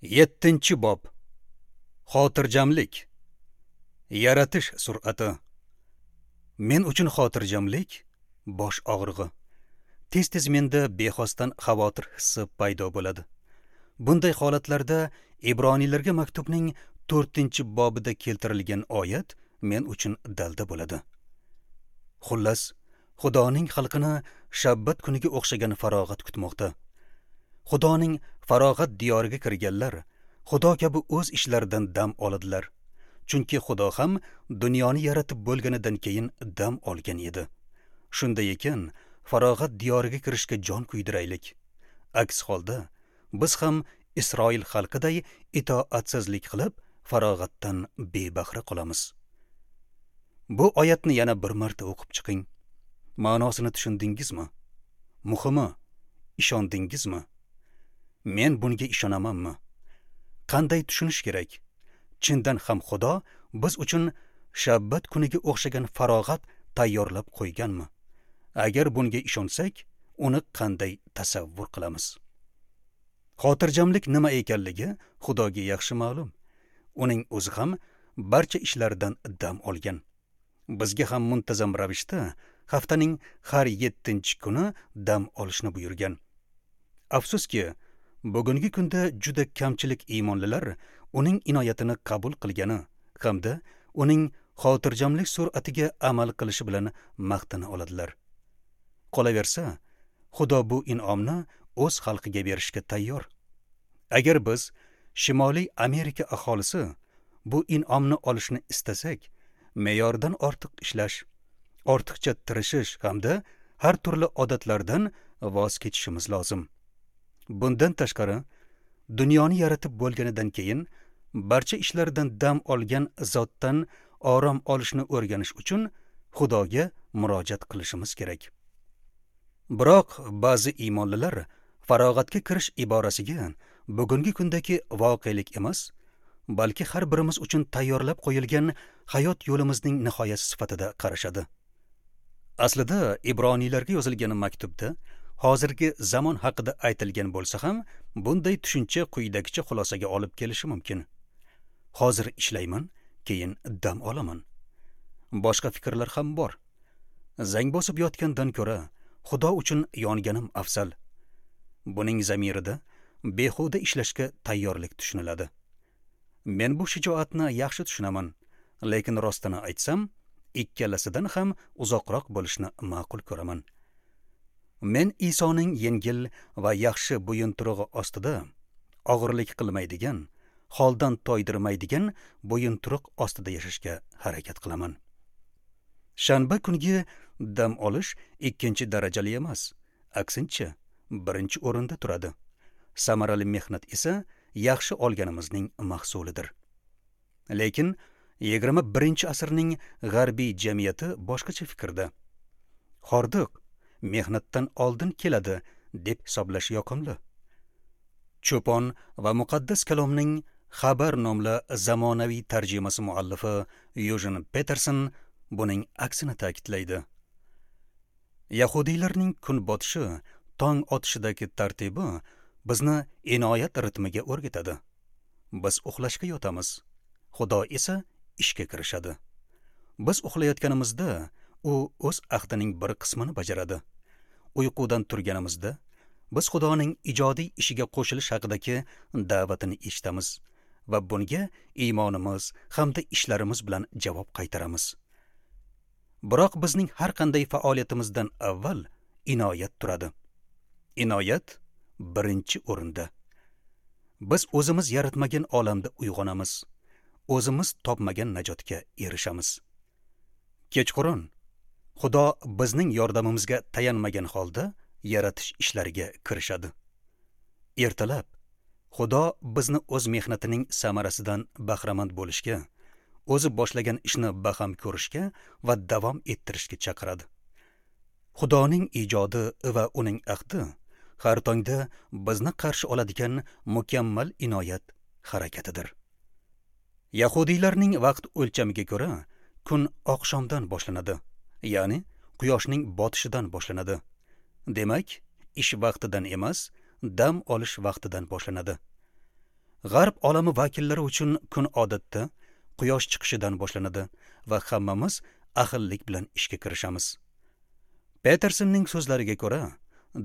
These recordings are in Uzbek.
7-bob. Xotirjamlik. Yaratish sur'ati. Men uchun xotirjamlik bosh og'rig'i. Tez-tez menda bexosdan xavotir hissi paydo bo'ladi. Bunday holatlarda Ibroniylarga maktubning 4-bobida keltirilgan oyat men uchun dalda bo'ladi. Xullas, Xudoning xalqini shabbat kuniga o'xshagan farog'at kutmoqda. Xudoning farog'at diyoriga kirganlar Xudo kabi o'z ishlaridan dam oladilar. Chunki Xudo ham dunyoni yaratib bo'lganidan keyin dam olgan edi. Shunday ekan, farog'at diyoriga kirishga jon kuydiraylik. Aks holda biz ham Isroil xalqiday itoatsizlik qilib, farog'atdan bebahra qolamiz. Bu oyatni yana bir marta o'qib chiqing. Ma'nosini tushundingizmi? Muhimi, ishondingizmi? Men bunga ishonamanmi? Qanday tushunish kerak? Chindan ham Xudo biz uchun shabbat kuniga o'xshagan farog'at tayyorlab qo'yganmi? Agar bunga ishonsak, uni qanday tasavvur qilamiz? Xotirjamlik nima ekanligi Xudoga yaxshi ma'lum. Uning o'zi ham barcha ishlardan dam olgan. Bizga ham muntazam ravishda haftaning har 7-kuni dam olishni buyurgan. Afsuski, bugungi kunda juda kamchilik iymonlilar uning inoyatini qabul qilgani hamda uning xotirjamlik sur'atiga amal qilishi bilan maqtana oladilar. Qolaversa, Xudo bu in'omni o'z xalqiga berishga tayyor. Agar biz Shimoliy Amerika aholisi bu in'omni olishni istasak, me'yordan ortiq ishlash, ortiqcha tirishish hamda har turli odatlardan voz kechishimiz lozim. Bundan tashqari, dunyoni yaratib bo'lganidan keyin barcha ishlardan dam olgan zotdan orom olishni o'rganish uchun Xudoga murojaat qilishimiz kerak. Biroq ba'zi iymonlilar farog'atga kirish iborasiga bugungi kundagi voqelik emas, balki har birimiz uchun tayyorlab qo'yilgan hayot yo'limizning nihoyasi sifatida qarashadi. Aslida Ibroniylarga yozilgan maktubda hozirgi zamon haqida aytilgan bo'lsa ham, bunday tushuncha quyidagicha xulosaga olib kelishi mumkin. Hozir ishlayman, keyin dam olaman. Boshqa fikrlar ham bor. Zang bosib yotgandan ko'ra Xudo uchun yonganim afzal. Buning zamirida behuda ishlashga tayyorlik tushuniladi. Men bu shijoatni yaxshi tushunaman, lekin rostini aytsam, ikkalasidan ham uzoqroq bo'lishni ma'qul ko'raman. Men Isoning yengil va yaxshi bo'yinturug'i ostida og'irlik qilmaydigan, holdan toydirmaydigan bo'yinturuq ostida yashashga harakat qilaman. Shanba kungi dam olish ikkinchi darajali emas, aksincha birinchi o'rinda turadi. Samarali mehnat esa yaxshi olganimizning mahsulidir. Lekin 21-asrning g'arbiy jamiyati boshqacha fikrda. Hordiq mehnatdan oldin keladi deb hisoblash yoqimli. Cho'pon va muqaddas kalomning xabar nomli zamonaviy tarjimasi muallifi Yujin Peterson buning aksini ta'kidlaydi. Yahudiylarning kun botishi, tong otishidagi tartibi bizni inoyat ritmiga o'rgatadi. Biz uxlashga yotamiz, Xudo esa ishga kirishadi. Biz uxlayotganimizda u o'z ahdining bir qismini bajaradi. Uyqudan turganimizda biz Xudoning ijodiy ishiga qo'shilish haqidagi da'vatini eshitamiz va bunga iymonimiz hamda ishlarimiz bilan javob qaytaramiz. Biroq bizning har qanday faoliyatimizdan avval inoyat turadi. Inoyat birinchi o'rinda. Biz o'zimiz yaratmagan olamda uyg'onamiz. O'zimiz topmagan najotga erishamiz. Kechqurun Xudo bizning yordamimizga tayanmagan holda yaratish ishlariga kirishadi. Ertalab Xudo bizni o'z mehnatining samarasidan bahramand bo'lishga, o'zi boshlagan ishni baham ko'rishga va davom ettirishga chaqiradi. Xudoning ijodi va uning ahdi har tongda bizni qarshi oladigan mukammal inoyat harakatidir. Yahudiylarning vaqt o'lchamiga ko'ra kun oqshomdan boshlanadi, ya'ni quyoshning botishidan boshlanadi. Demak, ish vaqtidan emas, dam olish vaqtidan boshlanadi. G'arb olami vakillari uchun kun odatda quyosh chiqishidan boshlanadi va hammamiz ahillik bilan ishga kirishamiz. Petersonning so'zlariga ko'ra,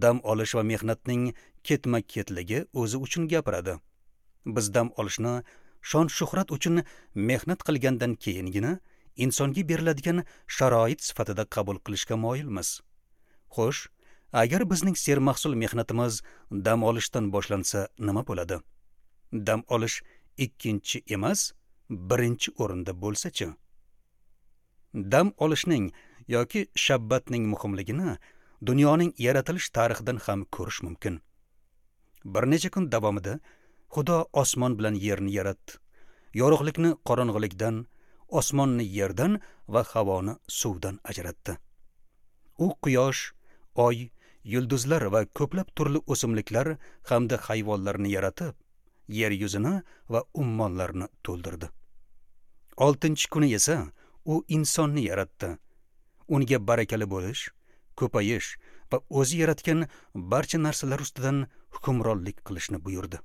dam olish va mehnatning ketma-ketligi o'zi uchun gapiradi. Biz dam olishni shon-shuhrat uchun mehnat qilgandan keyingina insonga beriladigan sharoit sifatida qabul qilishga moyilmiz. Xo'sh, agar bizning sermahsul mehnatimiz dam olishdan boshlansa nima bo'ladi? Dam olish ikkinchi emas, birinchi o'rinda bo'lsa-chi? Dam olishning yoki shabbatning muhimligini dunyoning yaratilish tarixidan ham ko'rish mumkin. Bir necha kun davomida Xudo osmon bilan yerni yaratdi. Yorug'likni qorong'ulikdan, osmonni yerdan va havoni suvdan ajratdi. U quyosh, oy, yulduzlar va ko'plab turli o'simliklar hamda hayvonlarni yaratib, yer yuzini va ummonlarni to'ldirdi. 6-kuni esa u insonni yaratdi. Unga barakali bo'lish, ko'payish va o'zi yaratgan barcha narsalar ustidan hukmronlik qilishni buyurdi.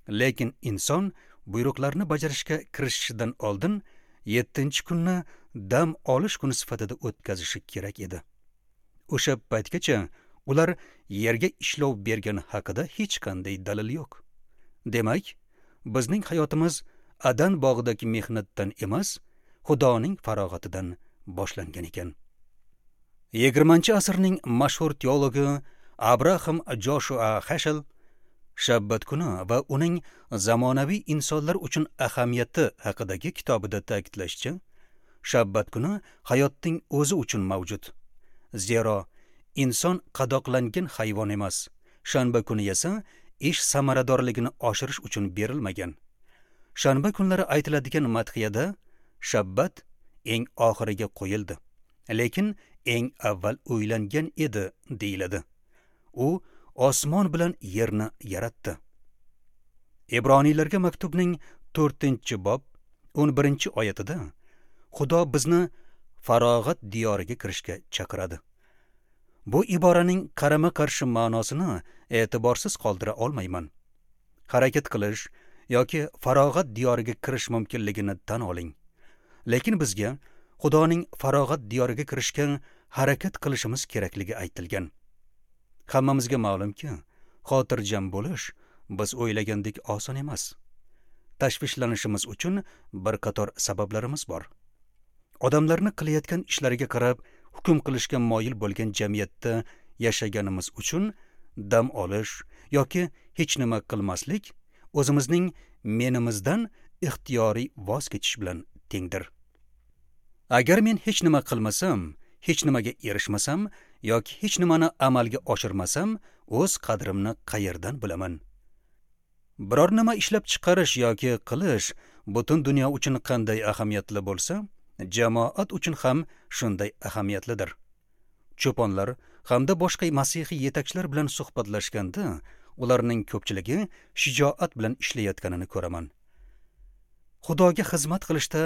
Lekin inson buyruqlarni bajarishga kirishishidan oldin 7-kunni dam olish kuni sifatida o'tkazishi kerak edi. O'sha paytgacha ular yerga ishlov bergani haqida hech qanday dalil yo'q. Demak, bizning hayotimiz Adan bog'idagi mehnatdan emas, Xudoning farog'atidan boshlangan ekan. 20-asrning mashhur teologi Abraham Joshua Heschel Shabbat kuni va uning zamonaviy insonlar uchun ahamiyati haqidagi kitobida ta'kidlashicha, Shabbat kuni hayotning o'zi uchun mavjud. Zero inson qadoqlangan hayvon emas. Shanba kuni esa ish samaradorligini oshirish uchun berilmagan. Shanba kunlari aytiladigan madhiyada Shabbat eng oxiriga qo'yildi, lekin eng avval o'ylangan edi deyiladi. U osmon bilan yerni yaratdi. Ibroniylarga maktubning 4-bob 11-oyatida Xudo bizni farog'at diyoriga kirishga chaqiradi. Bu iboraning qarama-qarshi ma'nosini e'tiborsiz qoldira olmayman. Harakat qilish yoki farog'at diyoriga kirish mumkinligini tan oling. Lekin bizga Xudoning farog'at diyoriga kirishga harakat qilishimiz kerakligi aytilgan. Hammamizga ma'lumki, xotirjam bo'lish biz o'ylagandek oson emas. Tashvishlanishimiz uchun bir qator sabablarimiz bor. Odamlarni qilayotgan ishlariga qarab hukm qilishga moyil bo'lgan jamiyatda yashaganimiz uchun dam olish yoki hech nima qilmaslik o'zimizning menimizdan ixtiyoriy voz kechish bilan tengdir. Agar men hech nima qilmasam, hech nimaga erishmasam yoki hech nimani amalga oshirmasam, o'z qadrimni qayerdan bilaman? Biror nima ishlab chiqarish yoki qilish butun dunyo uchun qanday ahamiyatli bo'lsa, jamoat uchun ham shunday ahamiyatlidir. Cho'ponlar hamda boshqa masihiy yetakchilar bilan suhbatlashganda, ularning ko'pchiligi shijoat bilan ishlayotganini ko'raman. Xudoga xizmat qilishda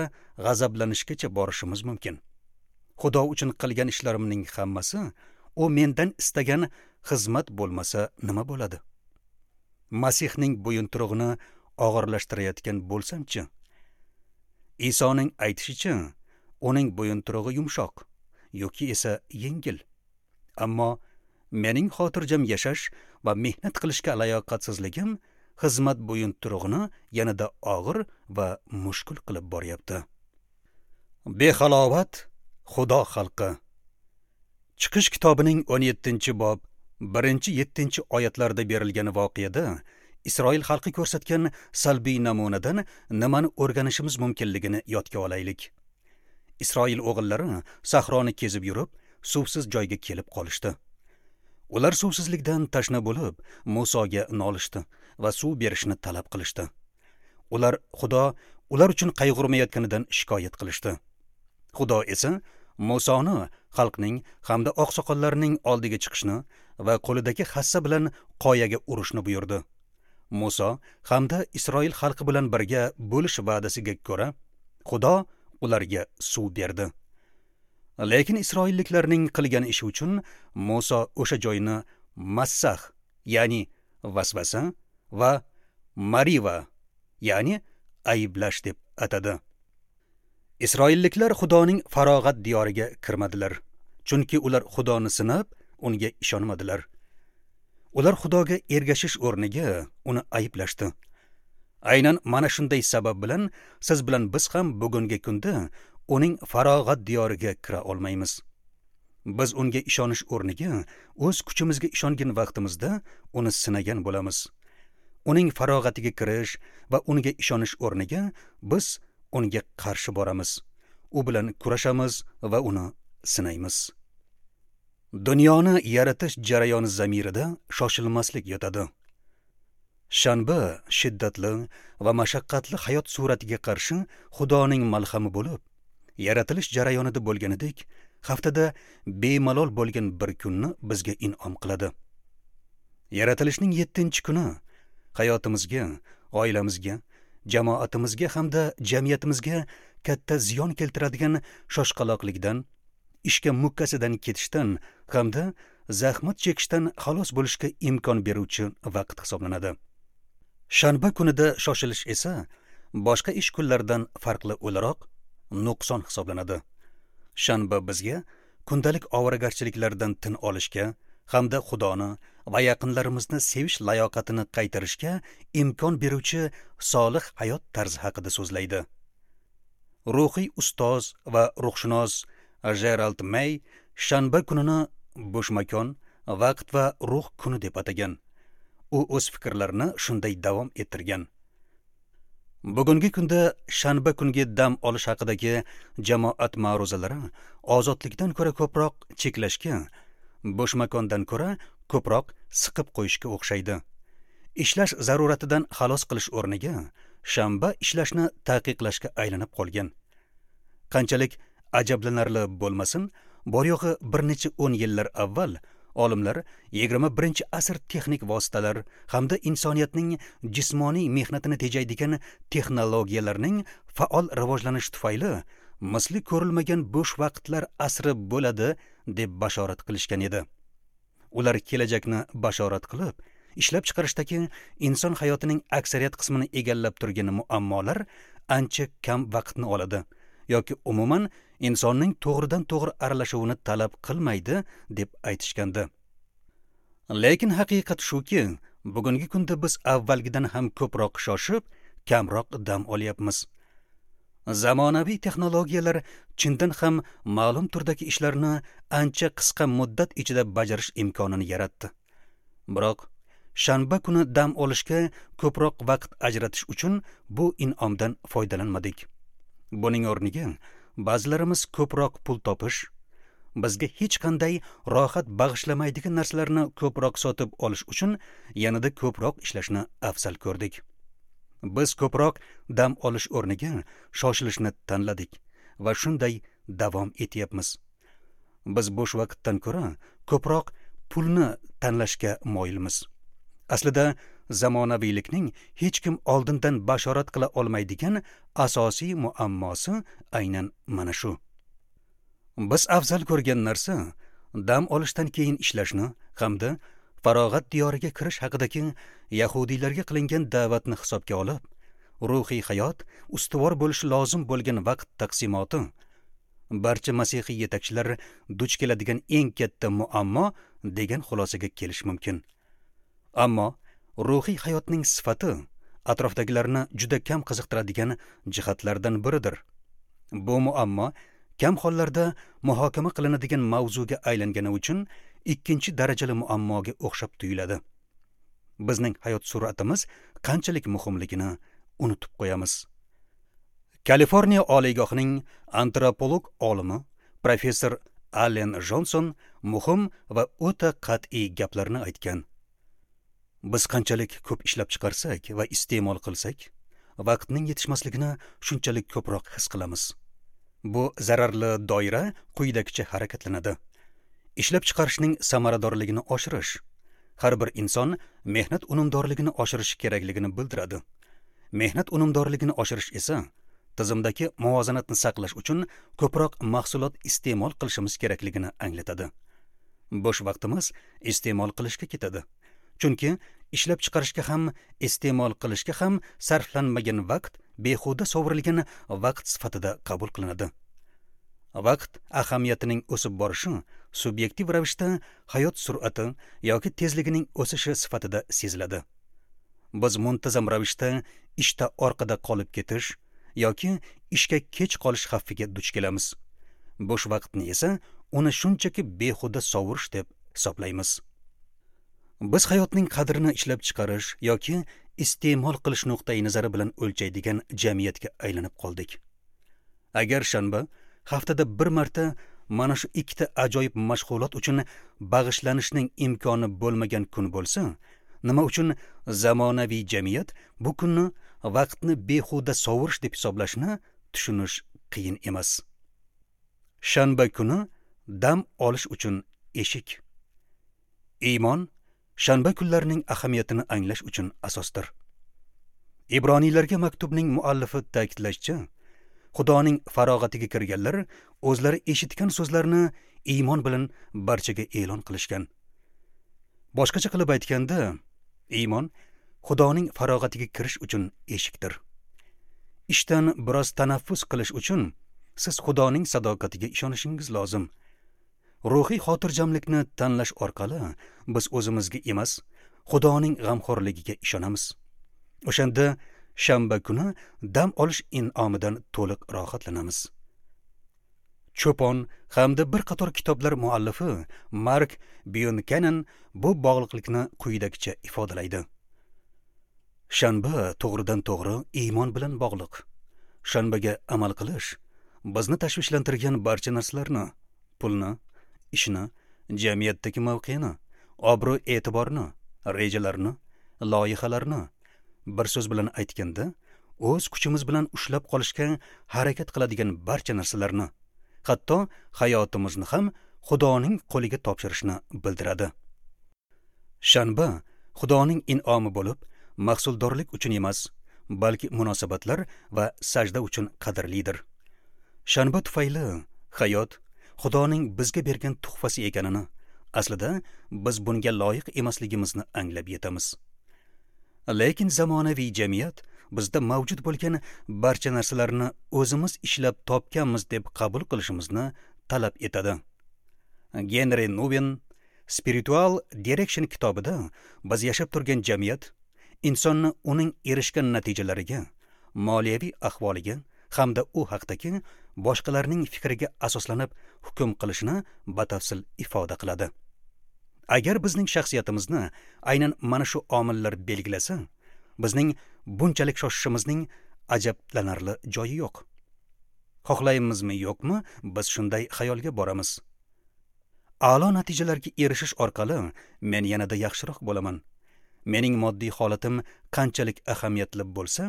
g'azablanishgacha borishimiz mumkin. Xudo uchun qilgan ishlarimning hammasi u mendan istagan xizmat bo'lmasa nima bo'ladi? Masihning bo'yinturug'ini og'irlashtirayotgan bo'lsam-chi? Isoning aytishicha, uning bo'yinturug'i yumshoq, yoki esa yengil. Ammo mening xotirjam yashash va mehnat qilishga layoqatsizligim xizmat bo'yinturug'ini yanada og'ir va mushkul qilib boryapti. Behalovat Xudo xalqi. Chiqish kitobining 17-bob 1-7 oyatlarda berilgan voqeada Isroil xalqi ko'rsatgan salbiy namunadan nimani o'rganishimiz mumkinligini yodga olaylik. Isroil o'g'illari sahroni kezib yurib, suvsiz joyga kelib qolishdi. Ular suvsizlikdan tashna bo'lib, Musoga nolishdi va suv berishni talab qilishdi. Ular Xudo ular uchun qayg'urmayotganidan shikoyat qilishdi. Xudo esa Musoni xalqning hamda oqsoqollarning oldiga chiqishni va qo'lidagi hassa bilan qoyaga urishni buyurdi. Muso hamda Isroil xalqi bilan birga bo'lish va'dasiga ko'ra, Xudo ularga suv berdi. Lekin isroilliklarning qilgan ishi uchun Muso o'sha joyni Massah, ya'ni vasvasa va Mariva, ya'ni ayblash deb atadi. Isroilliklar Xudoning farog'at diyoriga kirmadilar, chunki ular Xudoni sinab, unga ishonmadilar. Ular Xudoga ergashish o'rniga uni ayblashdi. Aynan mana shunday sabab bilan siz bilan biz ham bugungi kunda uning farog'at diyoriga kira olmaymiz. Biz unga ishonish o'rniga o'z kuchimizga ishongan vaqtimizda uni sinagan bo'lamiz. Uning farog'atiga kirish va unga ishonish o'rniga biz unga qarshi boramiz. U bilan kurashamiz va uni sinaymiz. Dunyoni yaratish jarayoni zamirida shoshilmaslik yotadi. Shanba shiddatli va mashaqqatli hayot suratiga qarshi Xudoning malhami bo'lib, yaratilish jarayonida bo'lganidek, haftada bemalol bo'lgan bir kunni bizga in'om qiladi. Yaratilishning 7-kuni hayotimizga, oilamizga, jamoatimizga hamda jamiyatimizga katta ziyon keltiradigan shoshqaloqlikdan, ishga mukkasidan ketishdan hamda zahmat chekishdan xalos bo'lishga imkon beruvchi vaqt hisoblanadi. Shanba kunida shoshilish esa boshqa ish kunlaridan farqli o'laroq nuqson hisoblanadi. Shanba bizga kundalik ovoragarchiliklardan tin olishga hamda Xudoni va yaqinlarimizni sevish layoqatini qaytarishga imkon beruvchi solih hayot tarzi haqida so'zlaydi. Ruhiy ustoz va ruhshunos Gerald May shanba kunini bo'sh makon, vaqt va ruh kuni deb atagan. U o'z fikrlarini shunday davom ettirgan. Bugungi kunda shanba kungi dam olish haqidagi jamoat ma'ruzalari ozodlikdan ko'ra ko'proq cheklashga, bo'sh makondan ko'ra ko'proq siqib qo'yishga o'xshaydi. Ishlash zaruratidan xalos qilish o'rniga shanba ishlashni taqiqlashga aylanib qolgan. Qanchalik ajablanarli bo'lmasin, bor yo'g'i bir necha 10 yillar avval olimlar 21-asr texnik vositalar hamda insoniyatning jismoniy mehnatini tejaydigan texnologiyalarning faol rivojlanishi tufayli misli ko'rilmagan bo'sh vaqtlar asri bo'ladi deb bashorat qilishgan edi. Ular kelajakni bashorat qilib, ishlab chiqarishdagi inson hayotining aksariyat qismini egallab turgan muammolar ancha kam vaqtni oladi yoki umuman insonning to'g'ridan-to'g'ri aralashuvini talab qilmaydi deb aytishgandi. Lekin haqiqat shuki, bugungi kunda biz avvalgidan ham ko'proq shoshib, kamroq dam olyapmiz. Zamonaviy texnologiyalar chindan ham ma'lum turdagi ishlarni ancha qisqa muddat ichida bajarish imkonini yaratdi. Biroq shanba kuni dam olishga ko'proq vaqt ajratish uchun bu in'omdan foydalanmadik. Buning o'rniga ba'zilarimiz ko'proq pul topish, bizga hech qanday rohat bag'ishlamaydigan narsalarni ko'proq sotib olish uchun yanada ko'proq ishlashni afzal ko'rdik. Biz ko'proq dam olish o'rniga shoshilishni tanladik va shunday davom etyapmiz. Biz bo'sh vaqtdan ko'ra ko'proq pulni tanlashga moyilmiz. Aslida zamonaviylikning hech kim oldindan bashorat qila olmaydigan asosiy muammosi aynan mana shu. Biz afzal ko'rgan narsa dam olishdan keyin ishlashni hamda farog'at diyoriga kirish haqidagi yahudiylarga qilingan da'vatni hisobga olib, ruhiy hayot ustuvor bo'lishi lozim bo'lgan vaqt taqsimoti barcha masihiy yetakchilar duch keladigan eng katta muammo degan xulosaga kelish mumkin. Ammo ruhiy hayotning sifati atrofdagilarni juda kam qiziqtiradigan jihatlardan biridir. Bu muammo kam hollarda muhokama qilinadigan mavzuga aylangani uchun ikkinchi darajali muammoga o'xshab tuyuladi. Bizning hayot sur'atimiz qanchalik muhimligini unutib qo'yamiz. Kaliforniya oliygohining antropolog olimi professor Allen Jonson muhim va o'ta qat'iy gaplarni aytgan. Biz qanchalik ko'p ishlab chiqarsak va iste'mol qilsak, vaqtning yetishmasligini shunchalik ko'proq his qilamiz. Bu zararli doira quyidagicha harakatlanadi. Ishlab chiqarishning samaradorligini oshirish. Har bir inson mehnat unumdorligini oshirishi kerakligini bildiradi. Mehnat unumdorligini oshirish esa tizimdagi muvozanatni saqlash uchun ko'proq mahsulot iste'mol qilishimiz kerakligini anglatadi. Bo'sh vaqtimiz iste'mol qilishga ketadi. Chunki Ishlab chiqarishga ham, iste'mol qilishga ham sarflanmagan vaqt behuda sovurilgan vaqt sifatida qabul qilinadi. Vaqt ahamiyatining o'sib borishi subyektiv ravishda hayot sur'ati yoki tezligining o'sishi sifatida seziladi. Biz muntazam ravishda ishda orqada qolib ketish yoki ishga kech qolish xavfiga duch kelamiz. Bo'sh vaqtni esa uni shunchaki behuda sovurish deb hisoblaymiz. Biz hayotning qadrini ishlab chiqarish yoki iste'mol qilish nuqtai nazari bilan o'lchaydigan jamiyatga aylanib qoldik. Agar shanba haftada bir marta mana shu ikkita ajoyib mashg'ulot uchun bag'ishlanishning imkoni bo'lmagan kun bo'lsa, nima uchun zamonaviy jamiyat bu kunni vaqtni behuda sovurish deb hisoblashni tushunish qiyin emas. Shanba kuni dam olish uchun eshik. Iymon shanba kunlarining ahamiyatini anglash uchun asosdir. Ibroniylarga maktubning muallifi ta'kidlashicha, Xudoning farog'atiga kirganlar o'zlari eshitgan so'zlarni iymon bilan barchaga e'lon qilishgan. Boshqacha qilib aytganda, iymon Xudoning farog'atiga kirish uchun eshikdir. Ishdan biroz tanaffus qilish uchun siz Xudoning sadoqatiga ishonishingiz lozim. Ruhiy xotirjamlikni tanlash orqali biz o'zimizga emas, Xudoning g'amxo'rligiga ishonamiz. O'shanda shanba kuni dam olish in'omidan to'liq rohatlanamiz. Cho'pon hamda bir qator kitoblar muallifi Mark Byunkanen bu bog'liqlikni quyidagicha ifodalaydi. Shanba to'g'ridan-to'g'ri iymon bilan bog'liq. Shanbaga amal qilish bizni tashvishlantirgan barcha narsalarni, pulni, ishni, jamiyatdagi mavqeni, obro'-e'tiborni, rejalarni, loyihalarni, bir so'z bilan aytganda, o'z kuchimiz bilan ushlab qolishga harakat qiladigan barcha narsalarni, hatto hayotimizni ham Xudoning qo'liga topshirishni bildiradi. Shanba Xudoning in'omi bo'lib, mahsuldorlik uchun emas, balki munosabatlar va sajda uchun qadrlidir. Shanba tufayli hayot Xudoning bizga bergan tuhfasi ekanini, aslida biz bunga loyiq emasligimizni anglab yetamiz. Lekin zamonaviy jamiyat bizda mavjud bo'lgan barcha narsalarni o'zimiz ishlab topganmiz deb qabul qilishimizni talab etadi. Genri Nuven Spiritual Direction kitobida biz yashab turgan jamiyat insonni uning erishgan natijalariga, moliyaviy ahvoliga hamda u haqdagi boshqalarning fikriga asoslanib hukm qilishini batafsil ifoda qiladi. Agar bizning shaxsiyatimizni aynan mana shu omillar belgilasa, bizning bunchalik shoshishimizning ajablanarli joyi yo'q. Xohlaymizmi yo'qmi, biz shunday xayolga boramiz. A'lo natijalarga erishish orqali men yanada yaxshiroq bo'laman. Mening moddiy holatim qanchalik ahamiyatli bo'lsa,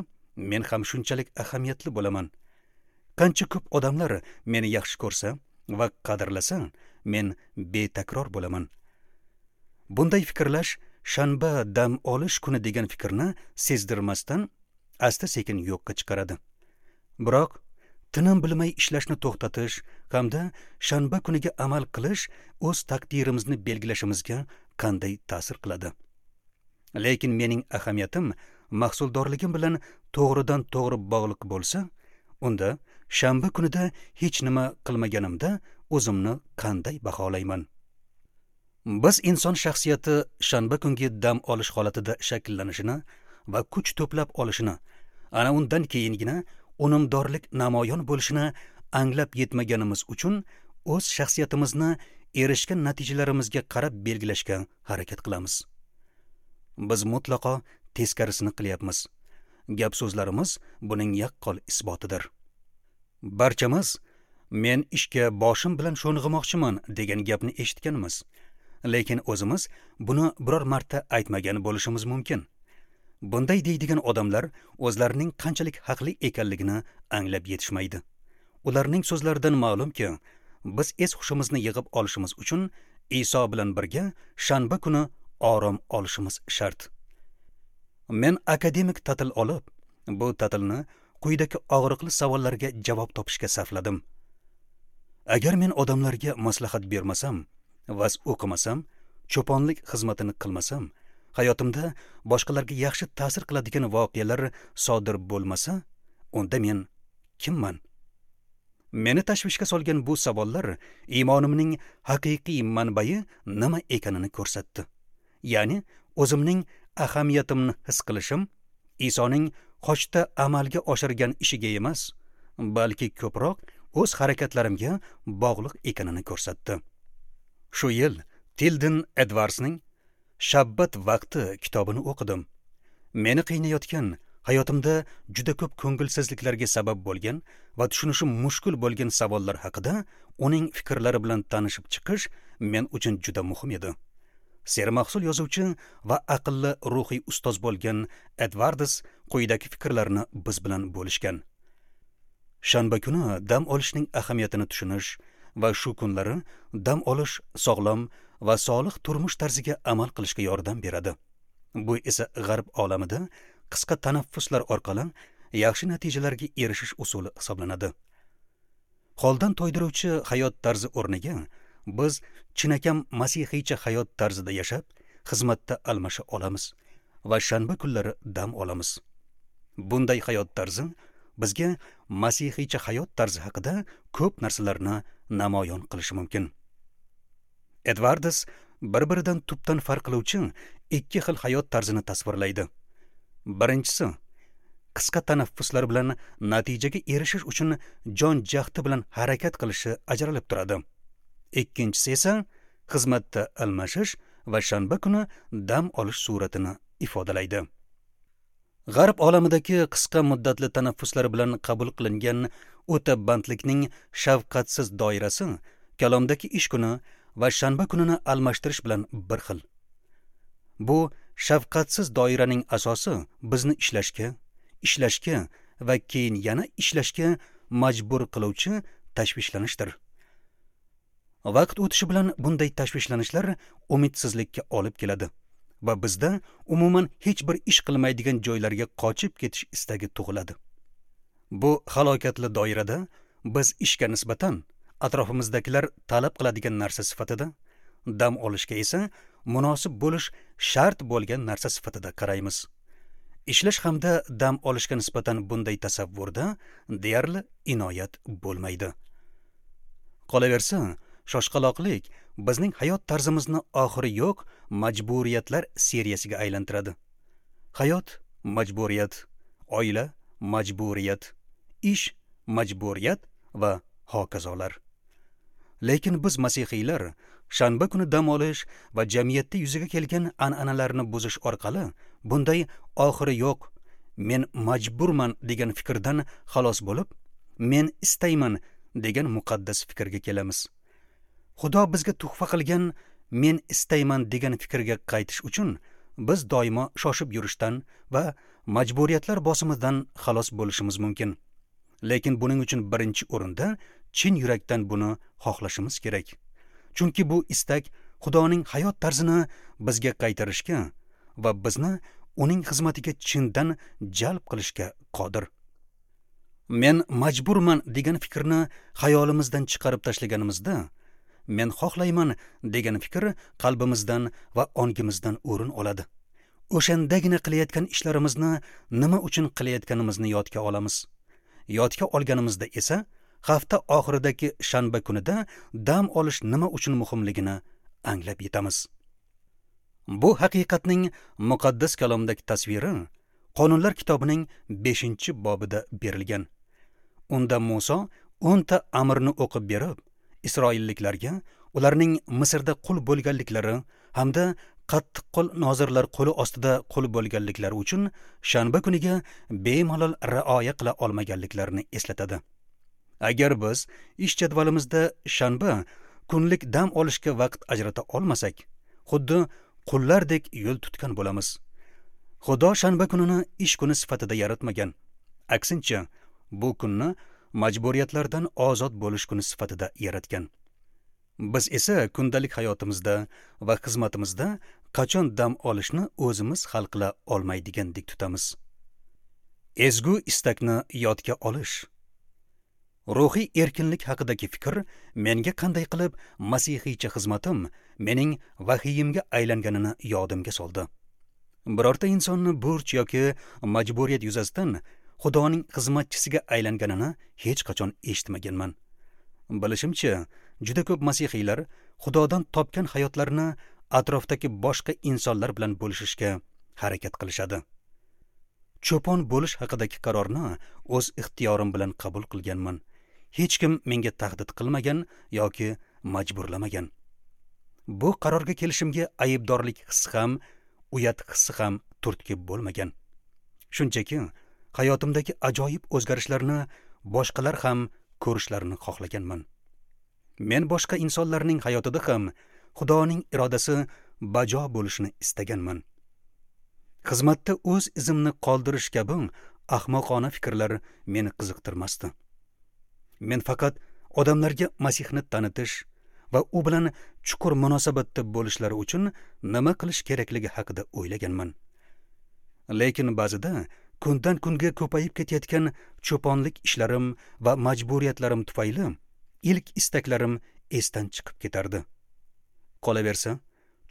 men ham shunchalik ahamiyatli bo'laman. Qancha ko'p odamlar meni yaxshi ko'rsa va qadrlasa, men betakror bo'laman. Bunday fikrlash shanba dam olish kuni degan fikrni sezdirmasdan asta-sekin yo'qqa chiqaradi. Biroq tinim bilmay ishlashni to'xtatish hamda shanba kuniga amal qilish o'z taqdirimizni belgilashimizga qanday ta'sir qiladi? Lekin mening ahamiyatim mahsuldorligim bilan to'g'ridan-to'g'ri bog'liq bo'lsa, unda shanba kunida hech nima qilmaganimda o'zimni qanday baholayman? Biz inson shaxsiyati shanba kungi dam olish holatida shakllanishini va kuch to'plab olishini, ana undan keyingina unumdorlik namoyon bo'lishini anglab yetmaganimiz uchun o'z shaxsiyatimizni erishgan natijalarimizga qarab belgilashga harakat qilamiz. Biz mutlaqo teskarisini qilyapmiz. Gap so'zlarimiz buning yaqqol isbotidir. Barchamiz men ishga boshim bilan sho'ng'imoqchiman degan gapni eshitganmiz. Lekin o'zimiz buni biror marta aytmagan bo'lishimiz mumkin. Bunday deydigan odamlar o'zlarining qanchalik haqli ekanligini anglab yetishmaydi. Ularning so'zlaridan ma'lumki, biz es-hushimizni yig'ib olishimiz uchun Iso bilan birga shanba kuni orom olishimiz shart. Men akademik ta'til olib, bu ta'tilni quyidagi og'riqli savollarga javob topishga sarfladim. Agar men odamlarga maslahat bermasam, va'z o'qimasam, cho'ponlik xizmatini qilmasam Hayotimda boshqalarga yaxshi ta'sir qiladigan voqealar sodir bo'lmasa, unda men kimman? Meni tashvishga solgan bu savollar iymonimning haqiqiy manbai nima ekanini ko'rsatdi. Ya'ni o'zimning ahamiyatimni his qilishim Isoning xochda amalga oshirgan ishiga emas, balki ko'proq o'z harakatlarimga bog'liq ekanini ko'rsatdi. Shu yil Tilden Edwardsning Shabbat vaqti kitobini o'qidim. Meni qiynayotgan, hayotimda juda ko'p ko'ngilsizliklarga sabab bo'lgan va tushunishim mushkul bo'lgan savollar haqida uning fikrlari bilan tanishib chiqish men uchun juda muhim edi. Sermahsul yozuvchi va aqlli ruhiy ustoz bo'lgan Edwards quyidagi fikrlarni biz bilan bo'lishgan. Shanba kuni dam olishning ahamiyatini tushunish va shu kunlari dam olish sog'lom va solih turmush tarziga amal qilishga yordam beradi. Bu esa g'arb olamida qisqa tanaffuslar orqali yaxshi natijalarga erishish usuli hisoblanadi. Holdan to'ydiruvchi hayot tarzi o'rniga biz chinakam masihiycha hayot tarzida yashab, xizmatda almasha olamiz va shanba kunlari dam olamiz. Bunday hayot tarzi bizga masihiycha hayot tarzi haqida ko'p narsalarni namoyon qilishi mumkin. Edwards bir-biridan tubdan farq qiluvchi ikki xil hayot tarzini tasvirlaydi. Birinchisi, qisqa tanaffuslar bilan natijaga erishish uchun jon jahdi bilan harakat qilishi ajralib turadi. Ikkinchisi esa xizmatda almashish va shanba kuni dam olish suratini ifodalaydi. G'arb olamidagi qisqa muddatli tanaffuslar bilan qabul qilingan o'ta bandlikning shafqatsiz doirasi kalomdagi ish kuni va shanba kunini almashtirish bilan bir xil. Bu shafqatsiz doiraning asosi bizni ishlashga, ishlashga va keyin yana ishlashga majbur qiluvchi tashvishlanishdir. Vaqt o'tishi bilan bunday tashvishlanishlar umidsizlikka olib keladi va bizda umuman hech bir ish qilmaydigan joylarga qochib ketish istagi tug'iladi. Bu halokatli doirada biz ishga nisbatan atrofimizdagilar talab qiladigan narsa sifatida, dam olishga esa munosib bo'lish shart bo'lgan narsa sifatida qaraymiz. Ishlash hamda dam olishga nisbatan bunday tasavvurda deyarli inoyat bo'lmaydi. Qolaversa, shoshqaloqlik bizning hayot tarzimizni oxiri yo'q majburiyatlar seriyasiga aylantiradi. Hayot majburiyat, oila majburiyat, ish majburiyat va hokazolar. Lekin biz masihiylar shanba kuni dam olish va jamiyatda yuzaga kelgan an'analarni buzish orqali bunday oxiri yo'q, men majburman degan fikrdan xalos bo'lib, men istayman degan muqaddas fikrga kelamiz. Xudo bizga tuhfa qilgan men istayman degan fikrga qaytish uchun biz doimo shoshib yurishdan va majburiyatlar bosimidan xalos bo'lishimiz mumkin. Lekin buning uchun birinchi o'rinda chin yurakdan buni xohlashimiz kerak. Chunki bu istak Xudoning hayot tarzini bizga qaytarishga va bizni uning xizmatiga chindan jalb qilishga qodir. Men majburman degan fikrni xayolimizdan chiqarib tashlaganimizda, men xohlayman degan fikr qalbimizdan va ongimizdan o'rin oladi. O'shandagina qilayotgan ishlarimizni nima uchun qilayotganimizni yodga olamiz. Yodga olganimizda esa hafta oxiridagi shanba kunida dam olish nima uchun muhimligini anglab yetamiz. Bu haqiqatning muqaddas kalomdagi tasviri Qonunlar kitobining 5-bobida berilgan. Unda Muso 10 ta amrni o'qib berib, Isroilliklarga ularning Misrda qul bo'lganliklari hamda qattiqqo'l nozirlar qo'li ostida qul bo'lganliklari uchun shanba kuniga bemalol rioya qila olmaganliklarini eslatadi. Agar biz ish jadvalimizda shanba kunlik dam olishga vaqt ajrata olmasak, xuddi qullardek yo'l tutgan bo'lamiz. Xudo shanba kunini ish kuni sifatida yaratmagan. Aksincha, bu kunni majburiyatlardan ozod bo'lish kuni sifatida yaratgan. Biz esa kundalik hayotimizda va xizmatimizda qachon dam olishni o'zimiz hal qila olmaydigandek tutamiz. Ezgu istakni yodga olish. Ruhiy erkinlik haqidagi fikr menga qanday qilib masihiycha xizmatim mening vahiyimga aylanganini yodimga soldi. Birorta insonni burch yoki majburiyat yuzasidan Xudoning xizmatchisiga aylanganini hech qachon eshitmaganman. Bilishimcha, juda ko'p masihiylar Xudodan topgan hayotlarini atrofdagi boshqa insonlar bilan bo'lishishga harakat qilishadi. Cho'pon bo'lish haqidagi qarorni o'z ixtiyorim bilan qabul qilganman. Hech kim menga tahdid qilmagan yoki majburlamagan. Bu qarorga kelishimga aybdorlik hissi ham, uyat hissi ham turtki bo'lmagan. Shunchaki hayotimdagi ajoyib o'zgarishlarni boshqalar ham ko'rishlarini xohlaganman. Men boshqa insonlarning hayotida ham Xudoning irodasi bajo bo'lishini istaganman. Xizmatda o'z izimni qoldirish kabi ahmoqona fikrlar meni qiziqtirmasdi. Men faqat odamlarga Masihni tanitish va u bilan chuqur munosabatda bo'lishlari uchun nima qilish kerakligi haqida o'ylaganman. Lekin ba'zida kundan kunga ko'payib ketayotgan cho'ponlik ishlarim va majburiyatlarim tufayli ilk istaklarim esdan chiqib ketardi. Qolaversa,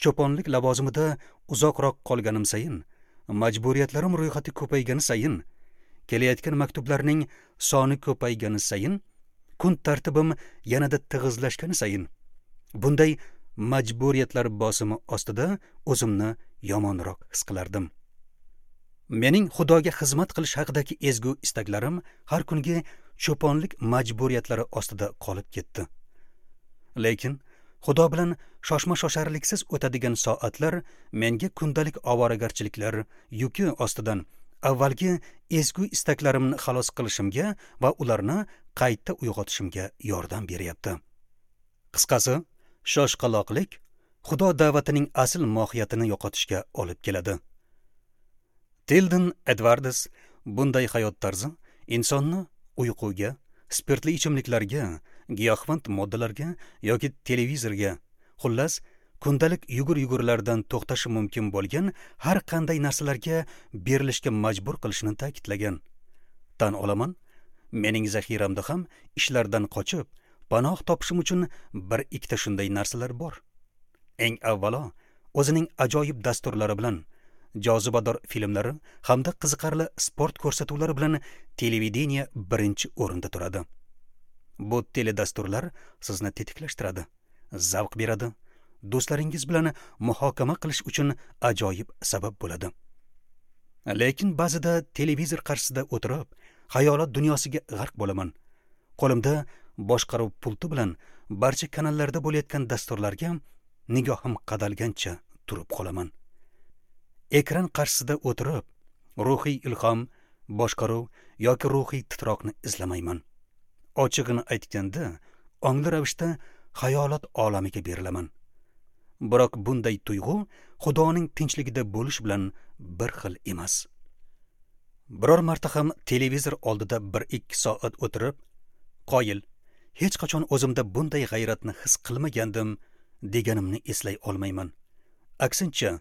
cho'ponlik lavozimida uzoqroq qolganim sayin, majburiyatlarim ro'yxati ko'paygani sayin, kelayotgan maktublarning soni ko'paygani sayin, kun tartibim yanada tig'izlashgani sayin, bunday majburiyatlar bosimi ostida o'zimni yomonroq his qilardim. Mening Xudoga xizmat qilish haqidagi ezgu istaklarim har kungi cho'ponlik majburiyatlari ostida qolib ketdi. Lekin Xudo bilan shoshma-shosharliksiz o'tadigan soatlar menga kundalik ovoragarchiliklar yuki ostidan avvalgi ezgu istaklarimni xalos qilishimga va ularni qayta uyg'otishimga yordam beryapti. Qisqasi, shoshqaloqlik Xudo da'vatining asl mohiyatini yo'qotishga olib keladi. Tilden Edwards bunday hayot tarzi insonni uyquga, spirtli ichimliklarga, giyohvand moddalarga yoki televizorga, xullas, kundalik yugur-yugurlardan to'xtashi mumkin bo'lgan har qanday narsalarga berilishga majbur qilishini ta'kidlagan. Tan olaman, mening zaxiramda ham ishlardan qochib, panoh topishim uchun bir ikkita shunday narsalar bor. Eng avvalo, o'zining ajoyib dasturlari bilan, jozibador filmlari hamda qiziqarli sport ko'rsatuvlari bilan televideniye birinchi o'rinda turadi. Bu teledasturlar sizni tetiklashtiradi, zavq beradi, do'stlaringiz bilan muhokama qilish uchun ajoyib sabab bo'ladi. Lekin ba'zida televizor qarshisida o'tirib, xayolot dunyosiga g'arq bo'laman. Qo'limda boshqaruv pulti bilan barcha kanallarda bo'layotgan dasturlarga nigohim qadalgancha turib qolaman. Ekran qarshisida o'tirib, ruhiy ilhom, boshqaruv yoki ruhiy titroqni izlamayman. Ochig'ini aytganda, ongli ravishda xayolot olamiga berilaman. Biroq bunday tuyg'u Xudoning tinchligida bo'lish bilan bir xil emas. Biror marta ham televizor oldida 1-2 soat o'tirib, qoyil, hech qachon o'zimda bunday g'ayratni his qilmagandim deganimni eslay olmayman. Aksincha,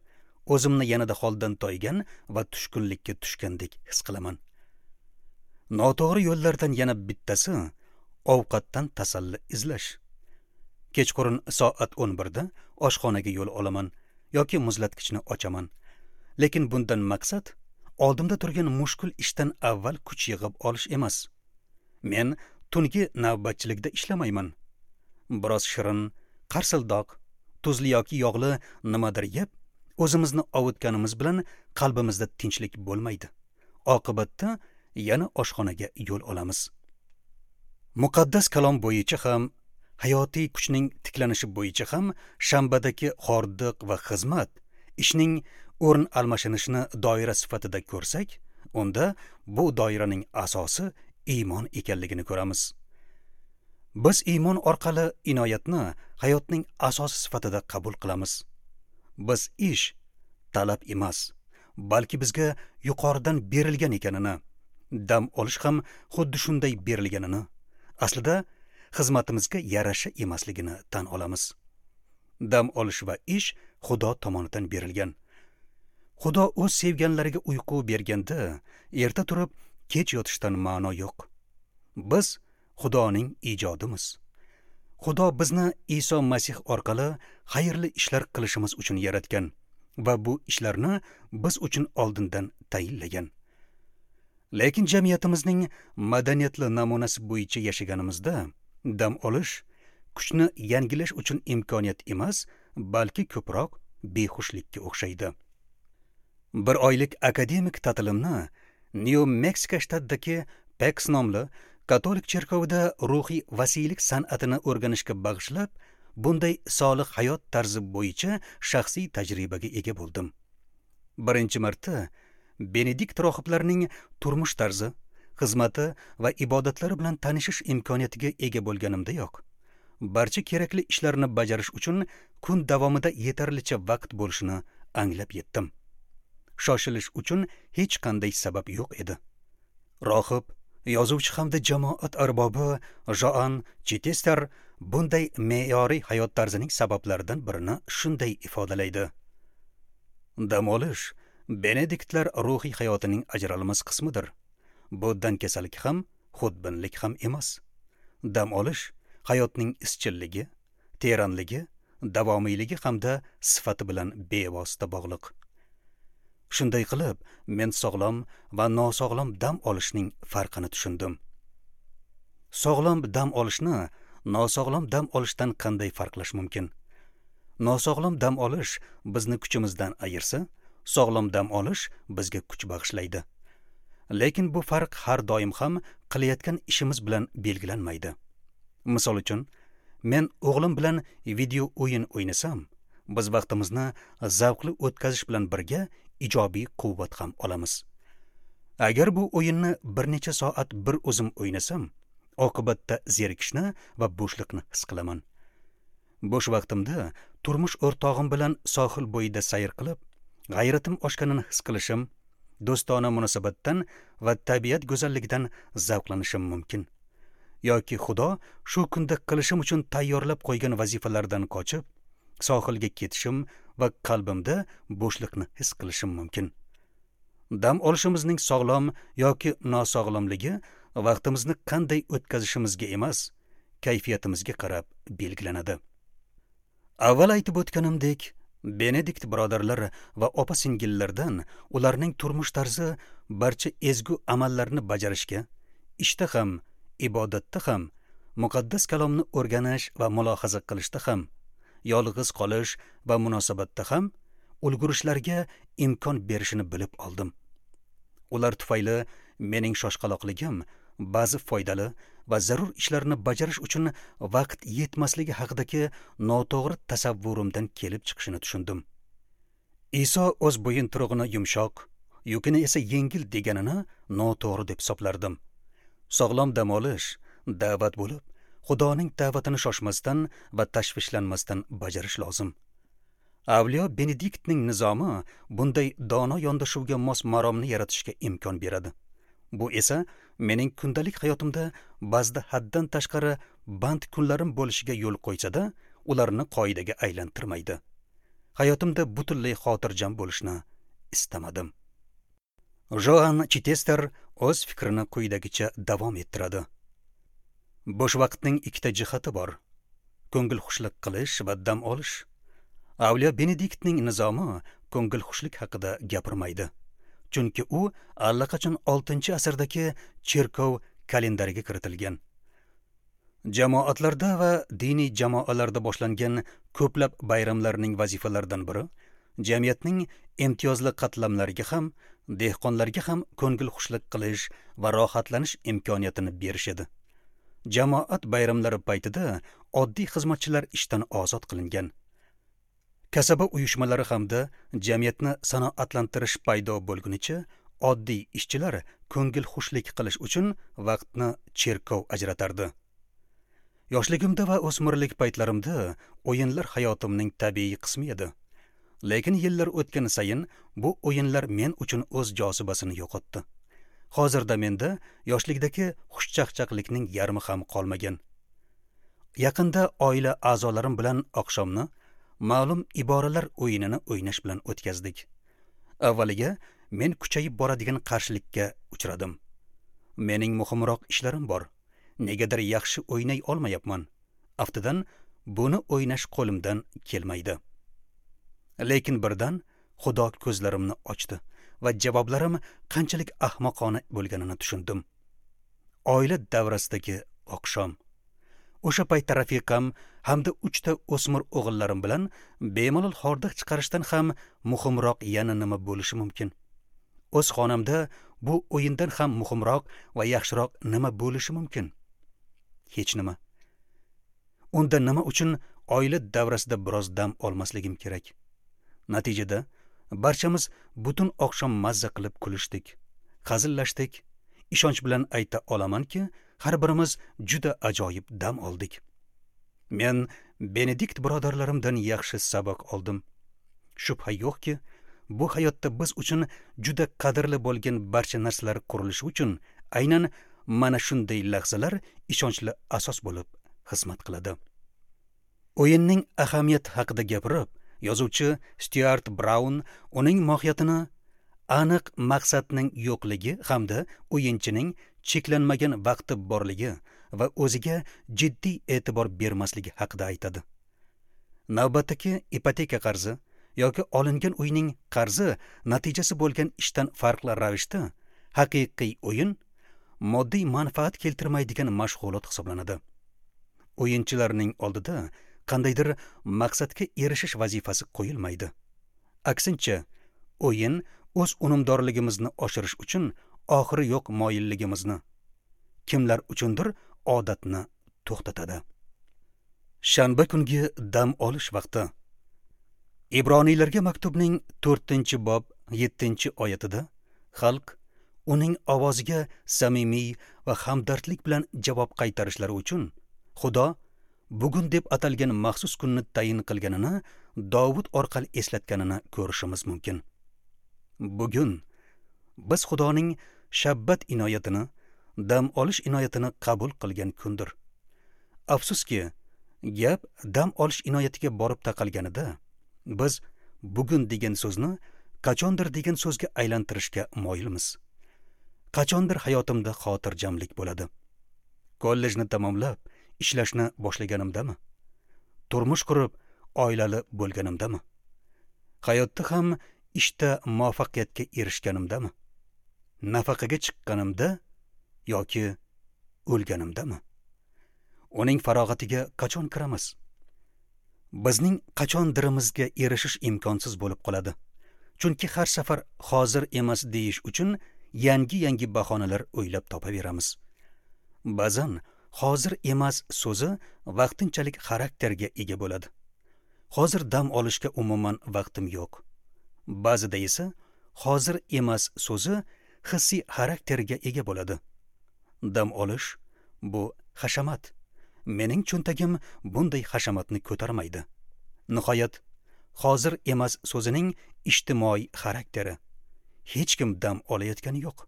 o'zimni yanada holdan toygan va tushkunlikka tushgandek his qilaman. Noto'g'ri yo'llardan yana bittasi ovqatdan tasalli izlash. Kechqurun soat 11 da oshxonaga yo'l olaman yoki muzlatgichni ochaman. Lekin bundan maqsad oldimda turgan mushkul ishdan avval kuch yig'ib olish emas. Men tungi navbatchilikda ishlamayman. Biroz shirin, qarsildoq, tuzli yoki yog'li nimadir yeb, o'zimizni ovutganimiz bilan qalbimizda tinchlik bo'lmaydi. Oqibatda yana oshxonaga yo'l olamiz. Muqaddas kalom bo'yicha ham, hayotiy kuchning tiklanishi bo'yicha ham shanbadagi xordiq va xizmat ishning o'rin almashinishini doira sifatida ko'rsak, unda bu doiraning asosi iymon ekanligini ko'ramiz. Biz iymon orqali inoyatni hayotning asosi sifatida qabul qilamiz. Biz ish talab emas, balki bizga yuqoridan berilgan ekanini, dam olish ham xuddi shunday berilganini, aslida xizmatimizga yarasha emasligini tan olamiz. Dam olish va ish Xudo tomonidan berilgan. Xudo o'z sevganlariga uyqu berganda, erta turib kech yotishdan ma'no yo'q. Biz Xudoning ijodimiz. Xudo bizni Iso Masih orqali xayrli ishlar qilishimiz uchun yaratgan Va bu ishlarni biz uchun oldindan tayinlagan. Lekin jamiyatimizning madaniyatli namunasi bo'yicha yashaganimizda dam olish kuchni yangilash uchun imkoniyat emas, balki ko'proq behushlikka o'xshaydi. Bir oylik akademik ta'tilimni Nyu Meksika shtatidagi Peks nomli katolik cherkovida ruhiy vasiylik san'atini o'rganishga bag'ishlab, bunday solih hayot tarzi bo'yicha shaxsiy tajribaga ega bo'ldim. Birinchi marta Benedikt rohiblarining turmush tarzi, xizmati va ibodatlari bilan tanishish imkoniyatiga ega bo'lganimdayoq, barcha kerakli ishlarni bajarish uchun kun davomida yetarlicha vaqt bo'lishini anglab yetdim. Shoshilish uchun hech qanday sabab yo'q edi. Rohib, yozuvchi hamda jamoat arbobi Joan Chitester bunday me'yoriy hayot tarzining sabablaridan birini shunday ifodalaydi: Dam olish Benediktlar ruhiy hayotining ajralmas qismidir. Bu dangasalik ham, xudbinlik ham emas. Dam olish hayotning izchilligi, teranligi, davomiyligi hamda sifati bilan bevosita bog'liq. Shunday qilib, men sog'lom va nosog'lom dam olishning farqini tushundim. Sog'lom dam olishni nosog'lom dam olishdan qanday farqlash mumkin? Nosog'lom dam olish bizni kuchimizdan ayirsa, sog'lom dam olish bizga kuch bag'ishlaydi. Lekin bu farq har doim ham qilayotgan ishimiz bilan belgilanmaydi. Misol uchun, men o'g'lim bilan video o'yin o'ynasam, biz vaqtimizni zavqli o'tkazish bilan birga ijobiy quvvat ham olamiz. Agar bu o'yinni bir necha soat bir o'zim o'ynasam, oqibatda zerikishni va bo'shliqni his qilaman. Bo'sh vaqtimda turmush o'rtog'im bilan sohil bo'yida sayr qilib, g'ayratim oshganini his qilishim, do'stona munosabatdan va tabiat go'zalligidan zavqlanishim mumkin. Yoki Xudo shu kunda qilishim uchun tayyorlab qo'ygan vazifalardan qochib, sohilga ketishim va qalbimda bo'shliqni his qilishim mumkin. Dam olishimizning sog'lom yoki nosog'lomligi vaqtimizni qanday o'tkazishimizga emas, kayfiyatimizga qarab belgilanadi. Avval aytib o'tganimdek, Benedikt birodarlar va opa-singillardan ularning turmush tarzi barcha ezgu amallarni bajarishga, ishda ham, ibodatda ham, muqaddas kalomni o'rganish va mulohaza qilishda ham, yolg'iz qolish va munosabatda ham ulgurishlarga imkon berishini bilib oldim. Ular tufayli mening shoshqaloqligim ba'zi foydali va zarur ishlarni bajarish uchun vaqt yetmasligi haqidagi noto'g'ri tasavvurimdan kelib chiqishini tushundim. Iso o'z bo'yinturug'ini yumshoq, yukini esa yengil deganini noto'g'ri deb hisoblardim. Sog'lom dam olish da'vat bo'lib, Xudoning da'vatini shoshmasdan va tashvishlanmasdan bajarish lozim. Avliyo Benediktning nizomi bunday dono yondashuvga mos maromni yaratishga imkon beradi. Bu esa mening kundalik hayotimda ba'zida haddan tashqari band kunlarim bo'lishiga yo'l qo'ysa-da, ularni qoidaga aylantirmaydi. Hayotimda butunlay xotirjam bo'lishni istamadim. Joan Chitester o'z fikrini quyidagicha davom ettiradi. Bo'sh vaqtning ikkita jihati bor: ko'ngil xushlik qilish va dam olish. Avliyo Benediktning nizomi ko'ngil xushlik haqida gapirmaydi, chunki u allaqachon 6-asrdagi cherkov kalendariga kiritilgan. Jamoatlarda va diniy jamoalarda boshlangan ko'plab bayramlarning vazifalaridan biri jamiyatning imtiyozli qatlamlariga ham, dehqonlarga ham ko'ngil xushlik qilish va rohatlanish imkoniyatini berish edi. Jamoat bayramlari paytida oddiy xizmatchilar ishdan ozod qilingan. Kasaba uyushmalari hamda jamiyatni sanoatlantirish paydo bo'lgunicha oddiy ishchilar ko'ngil xushlik qilish uchun vaqtni cherkov ajratardi. Yoshligimda va o'smirlik paytlarimda o'yinlar hayotimning tabiiy qismi edi. Lekin yillar o'tgan sayin bu o'yinlar men uchun o'z jozibasini yo'qotdi. Hozirda menda yoshlikdagi xushchaqchaqlikning yarmi ham qolmagan. Yaqinda oila a'zolarim bilan oqshomni ma'lum iboralar o'yinini o'ynash bilan o'tkazdik. Avvaliga men kuchayib boradigan qarshilikka uchradim. Mening muhimroq ishlarim bor. Negadir yaxshi o'ynay olmayapman. Aftidan buni o'ynash qo'limdan kelmaydi. Lekin birdan Xudo ko'zlarimni ochdi va javoblarim qanchalik ahmoqona bo'lganini tushundim. Oila davrasidagi oqshom. O'sha paytda rafiqam hamda 3 ta o'smir o'g'illarim bilan bemalol hordiq chiqarishdan ham muhimroq yana nima bo'lishi mumkin? O'z xonamda bu o'yindan ham muhimroq va yaxshiroq nima bo'lishi mumkin? Hech nima. Unda nima uchun oila davrasida biroz dam olmasligim kerak? Natijada barchamiz butun oqshom mazza qilib kulishdik, hazillashdik. Ishonch bilan ayta olamanki, har birimiz juda ajoyib dam oldik. Men Benedikt birodarlarimdan yaxshi saboq oldim. Shubha yo'qki, bu hayotda biz uchun juda qadrli bo'lgan barcha narsalar qurilishi uchun aynan mana shunday lahzalar ishonchli asos bo'lib xizmat qiladi. O'yinning ahamiyati haqida gapirib, yozuvchi Stuart Brown uning mohiyatini aniq maqsadning yo'qligi hamda o'yinchining cheklanmagan vaqti borligi va o'ziga jiddiy e'tibor bermasligi haqida aytadi. Navbatdagi ipoteka qarzi yoki olingan uyning qarzi natijasi bo'lgan ishdan farqli ravishda haqiqiy o'yin moddiy manfaat keltirmaydigan mashg'ulot hisoblanadi. O'yinchilarning oldida qandaydir maqsadga erishish vazifasi qo'yilmaydi. Aksincha, o'yin o'z unumdorligimizni oshirish uchun oxiri yo'q moyilligimizni, kimlar uchundir odatni to'xtatadi. Shanba kungi dam olish vaqti. Ibroniylarga maktubning 4-bob 7-oyatida xalq uning ovoziga samimiy va hamdardlik bilan javob qaytarishlari uchun Xudo bugun deb atalgan maxsus kunni tayin qilganini Dovud orqali eslatganini ko'rishimiz mumkin. Bugun biz Xudoning shabbat inoyatini, dam olish inoyatini qabul qilgan kundir. Afsuski, gap dam olish inoyatiga borib taqalganida biz bugun degan so'zni qachondir degan so'zga aylantirishga moyilmiz. Qachondir hayotimda xotirjamlik bo'ladi. Kollejni tamomlab, ishlashni boshlaganimdami? Turmush qurib, oilali bo'lganimdami? Hayotda ham ishda muvaffaqiyatga erishganimdami? Nafaqaga chiqqanimda yoki o'lganimdami? Uning farog'atiga qachon kiramiz? Bizning qachondirimizga erishish imkonsiz bo'lib qoladi. Chunki har safar hozir emas deyish uchun yangi-yangi bahonalar o'ylab topaveramiz. Ba'zan hozir emas so'zi vaqtinchalik xarakterga ega bo'ladi. Hozir dam olishga umuman vaqtim yo'q. Ba'zida esa hozir emas so'zi hissiy xarakterga ega bo'ladi. Dam olish bu hashamat. Mening cho'ntagim bunday hashamatni ko'tarmaydi. Nihoyat, hozir emas so'zining ijtimoiy xarakteri. Hech kim dam olayotgani yo'q.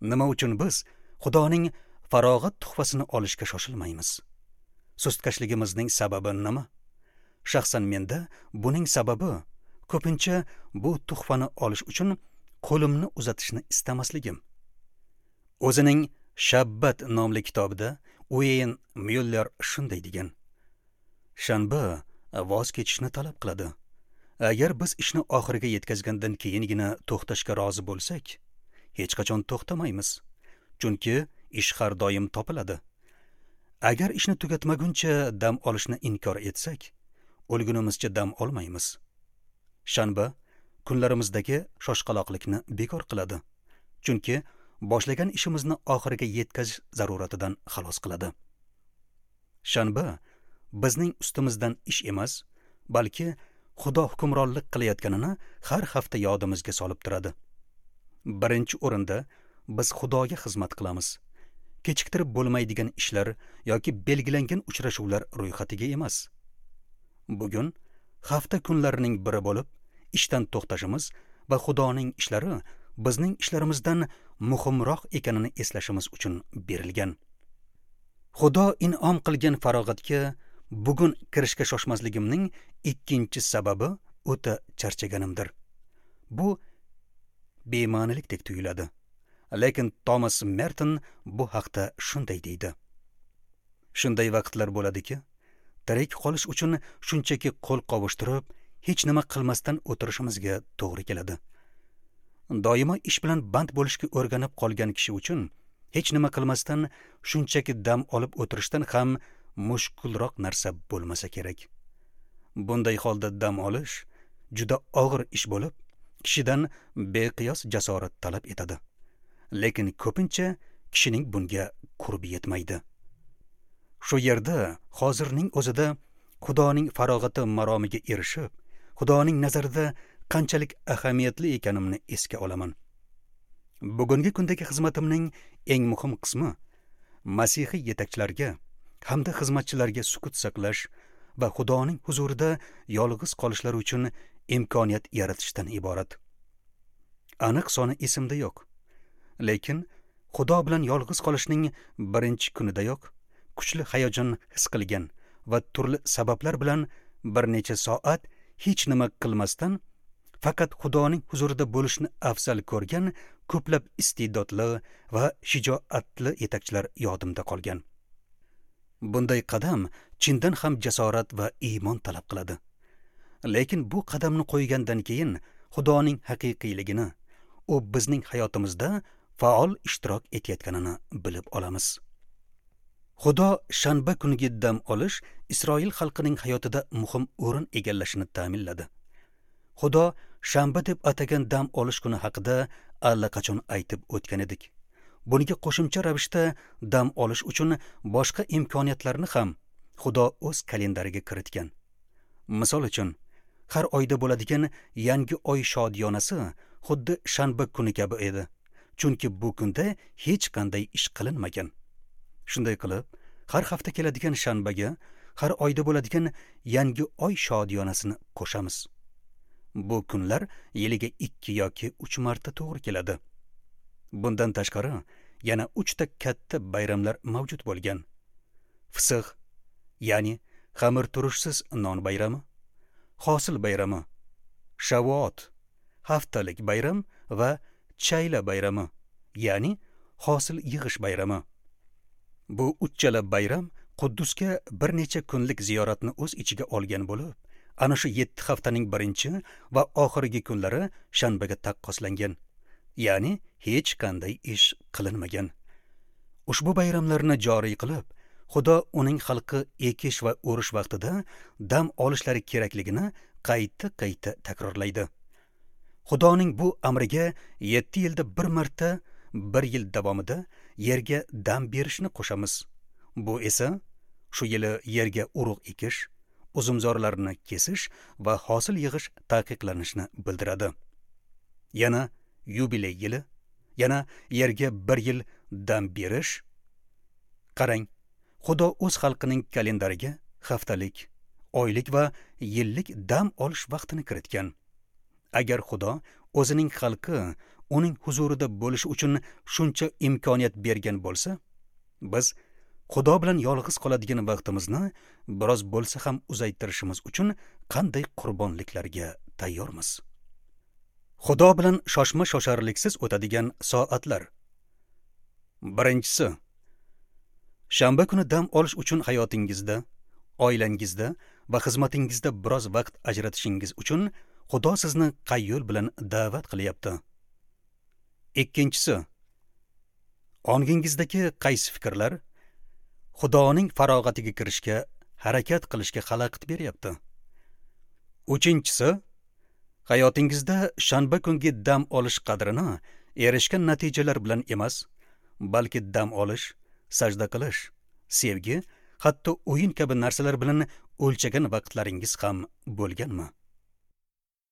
Nima uchun biz Xudoning farog'at tuhfasini olishga shoshilmaymiz? Sustkashligimizning sababi nima? Shaxsan menda buning sababi ko'pincha bu tuhfani olish uchun qo'limni uzatishni istamasligim. O'zining Shabbat nomli kitobida Ueyn Myuller shunday degan: Shanba voz kechishni talab qiladi. Agar biz ishni oxiriga yetkazgandan keyingina to'xtashga rozi bo'lsak, hech qachon to'xtamaymiz. Chunki ish har doim topiladi. Agar ishni tugatmaguncha dam olishni inkor etsak, o'lgunimizcha dam olmaymiz. Shanba kunlarimizdagi shoshqaloqlikni bekor qiladi. Chunki boshlagan ishimizni oxiriga yetkazish zaruratidan xalos qiladi. Shanba bizning ustimizdan ish emas, balki Xudo hukmronlik qilayotganini har hafta yodimizga solib turadi. Birinchi o'rinda biz Xudoga xizmat qilamiz. Kechiktirib bo'lmaydigan ishlar yoki belgilangan uchrashuvlar ro'yxatiga emas. Bugun hafta kunlarining biri bo'lib, ishdan to'xtashimiz va Xudoning ishlari bizning ishlarimizdan muhimroq ekanini eslashimiz uchun berilgan. Xudo in'om qilgan farog'atga bugun kirishga shoshmasligimning ikkinchi sababi o'ta charchaganimdir. Bu bema'nilikdek tuyuladi. Lekin Thomas Merton bu haqda shunday deydi: Shunday vaqtlar bo'ladiki, tirik qolish uchun shunchaki qo'l qovushtirib, hech nima qilmasdan o'tirishimizga to'g'ri keladi. Doimo ish bilan band bo'lishga o'rganib qolgan kishi uchun hech nima qilmasdan shunchaki dam olib o'tirishdan ham mushkulroq narsa bo'lmasa kerak. Bunday holda dam olish juda og'ir ish bo'lib, kishidan beqiyos jasorat talab etadi. Lekin ko'pincha kishining bunga qurbi yetmaydi. Shu yerda hozirning o'zida Xudoning farog'ati maromiga erishib, Xudoning nazarida qanchalik ahamiyatli ekanimni esga olaman. Bugungi kundagi xizmatimning eng muhim qismi masihiy yetakchilarga hamda xizmatchilarga sukut saqlash va Xudoning huzurida yolg'iz qolishlari uchun imkoniyat yaratishdan iborat. Aniq soni esimda yo'q. Lekin Xudo bilan yolg'iz qolishning birinchi kunidayoq kuchli hayajon his qilgan va turli sabablar bilan bir necha soat hech nima qilmasdan faqat Xudoning huzurida bo'lishni afzal ko'rgan ko'plab iste'dodli va shijoatli yetakchilar yodimda qolgan. Bunday qadam chindan ham jasorat va iymon talab qiladi. Lekin bu qadamni qo'ygandan keyin Xudoning haqiqiyligini, u bizning hayotimizda faol ishtirok etayotganini bilib olamiz. Xudo shanba kuniga dam olish Isroil xalqining hayotida muhim o'rin egallashini ta'minladi. Xudo shanba deb atagan dam olish kuni haqida allaqachon aytib o'tgan edik. Bunga qo'shimcha ravishda dam olish uchun boshqa imkoniyatlarni ham Xudo o'z kalendariga kiritgan. Misol uchun, har oyda bo'ladigan yangi oy shodiyonasi xuddi shanba kuni kabi edi. Chunki bu kunda hech qanday ish qilinmagan. Shunday qilib, har hafta keladigan shanbaga har oyda bo'ladigan yangi oy shodiyonasini qo'shamiz. Bu kunlar yiliga 2 yoki 3 marta to'g'ri keladi. Bundan tashqari, yana 3 ta katta bayramlar mavjud bo'lgan. Fisix, ya'ni xamir turushsiz non bayrami, hosil bayrami, Shavuot, haftalik bayram va Chayla bayrami, ya'ni hosil yig'ish bayrami. Bu uchala bayram Quddusga bir necha kunlik ziyoratni o'z ichiga olgan bo'lib, ana shu 7 haftaning birinchi va oxirgi kunlari shanbaga taqqoslangan. Ya'ni hech qanday ish qilinmagan. Ushbu bayramlarni joriy qilib, Xudo uning xalqi ekish va o'rish vaqtida dam olishlari kerakligini qayta-qayta takrorlaydi. Xudoning bu amriga 7 yilda bir marta, bir yil davomida yerga dam berishni qo'shamiz. Bu esa shu yili yerga urug' ekish, uzumzorlarni kesish va hosil yig'ish taqiqlanishini bildiradi. Yana yubiley yili, yana yerga bir yil dam berish. Qarang, Xudo o'z xalqining kalendariga haftalik, oylik va yillik dam olish vaqtini kiritgan. Agar Xudo o'zining xalqi uning huzurida bo'lish uchun shuncha imkoniyat bergan bo'lsa, biz Xudo bilan yolg'iz qoladigan vaqtimizni biroz bo'lsa ham uzaytirishimiz uchun qanday qurbonliklarga tayyormiz? Xudo bilan shoshma-shosharliksiz o'tadigan soatlar. Birinchisi, shanba kuni dam olish uchun hayotingizda, oilangizda va xizmatingizda biroz vaqt ajratishingiz uchun Xudo sizni qay yo'l bilan da'vat qilyapti? Ikkinchisi, ongingizdagi qaysi fikrlar Xudoning farog'atiga kirishga harakat qilishga xalaqit beryapti? Uchinchisi, hayotingizda shanba kungi dam olish qadrini erishgan natijalar bilan emas, balki dam olish, sajda qilish, sevgi, hatto o'yin kabi narsalar bilan o'lchagan vaqtlaringiz ham bo'lganmi?